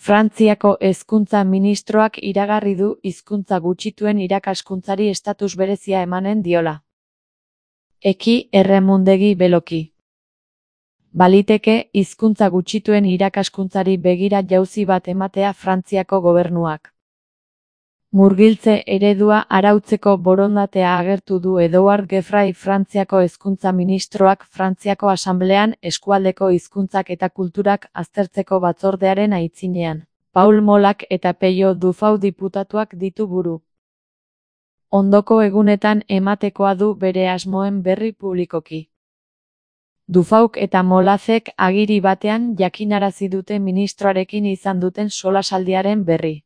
Frantziako hezkuntza ministroak iragarri du hizkuntza gutxituen irakaskuntzari estatus berezia emanen diola. Eki erremundegi beloki. Baliteke hizkuntza gutxituen irakaskuntzari begira jauzi bat ematea Frantziako gobernuak. Murgiltze eredua arautzeko borondatea agertu du Edouard Geoffroy Frantziako hezkuntza ministroak Frantziako Asanblean eskualdeko hizkuntzak eta kulturak aztertzeko batzordearen aitzinean. Paul Molak eta Peio Dufau diputatuak ditu buru. Ondoko egunetan ematekoa du bere asmoen berri publikoki. Dufauk eta Molazek agiri batean jakinarazi dute ministroarekin izan duten solasaldiaren berri.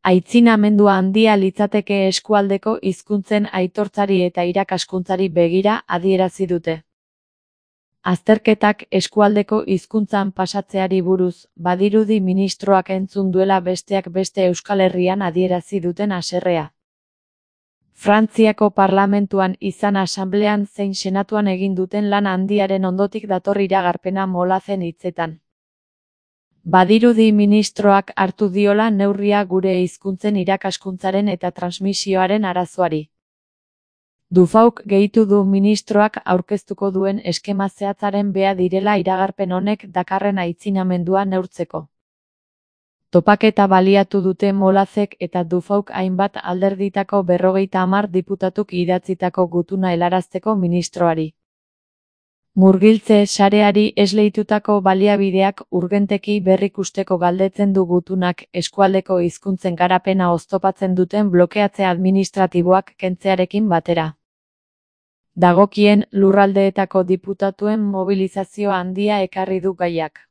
Aitzinamendua handia litzateke eskualdeko hizkuntzen aitortzari eta irakaskuntzari begira adierazi dute. Azterketak eskualdeko hizkuntzan pasatzeari buruz, badirudi ministroak entzun duela besteak beste Euskal Herrian adierazi duten haserrea. Frantziako parlamentuan izan asanblean zein senatuan egin duten lan handiaren ondotik dator iragarpena Molazen hitzetan. Badirudi ministroak hartu diola neurria gure hizkuntzen irakaskuntzaren eta transmisioaren arazoari. Dufauk gehitu du ministroak aurkeztuko duen eskema zehatzaren bea direla iragarpen honek dakarren aitzinamendua neurtzeko. Topaketa baliatu dute Molazek eta Dufauk hainbat alderditako 50 diputatuk idatzitako gutuna helarazteko ministroari. Murgiltze sareari esleitutako baliabideak urgenteki berrikusteko galdetzen du gutunak eskualdeko hizkuntzen garapena oztopatzen duten blokeatze administratiboak kentzearekin batera. Dagokien lurraldeetako diputatuen mobilizazio handia ekarri du gaiak.